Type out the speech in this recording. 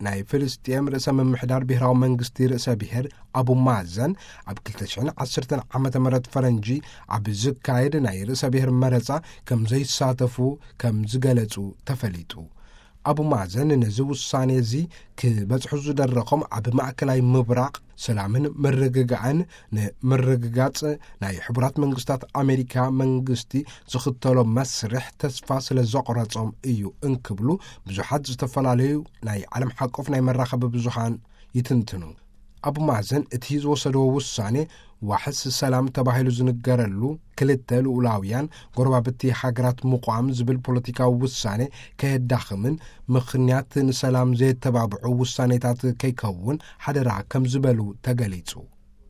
ናይ ፍልስጤም ርእሰ ምምሕዳር ብሔራዊ መንግስቲ ርእሰ ብሔር ኣቡ ማዘን ኣብ ክልተ ሽሕን ዓሰርተን ዓመተ ምህረት ፈረንጂ ኣብ ዝካየድ ናይ ርእሰ ብሔር መረጻ ከም ዘይሳተፉ ከም ዝገለጹ ተፈሊጡ። ኣቡ ማዘን ነዚ ውሳኔ እዚ ክበጽሑ ዝደረኾም ኣብ ማእከላይ ምብራቕ ሰላምን ምርግጋእን ንምርግጋጽ ናይ ሕቡራት መንግስታት ኣሜሪካ መንግስቲ ዝኽተሎ መስርሕ ተስፋ ስለ ዘቑረጾም እዩ እንክብሉ ብዙሓት ዝተፈላለዩ ናይ ዓለም ሓቆፍ ናይ መራኸቢ ብዙሃን ይትንትኑ። ኣቡ ማዘን እቲ ዝወሰድዎ ውሳኔ ዋሕስ ሰላም ተባሂሉ ዝንገረሉ ክልተ ልኡላውያን ጎረባብቲ ሃገራት ምቋም ዝብል ፖለቲካዊ ውሳኔ ከየዳኽምን ምኽንያት ንሰላም ዘየተባብዑ ውሳኔታት ከይከውን ሓደራ ከም ዝበሉ ተገሊጹ።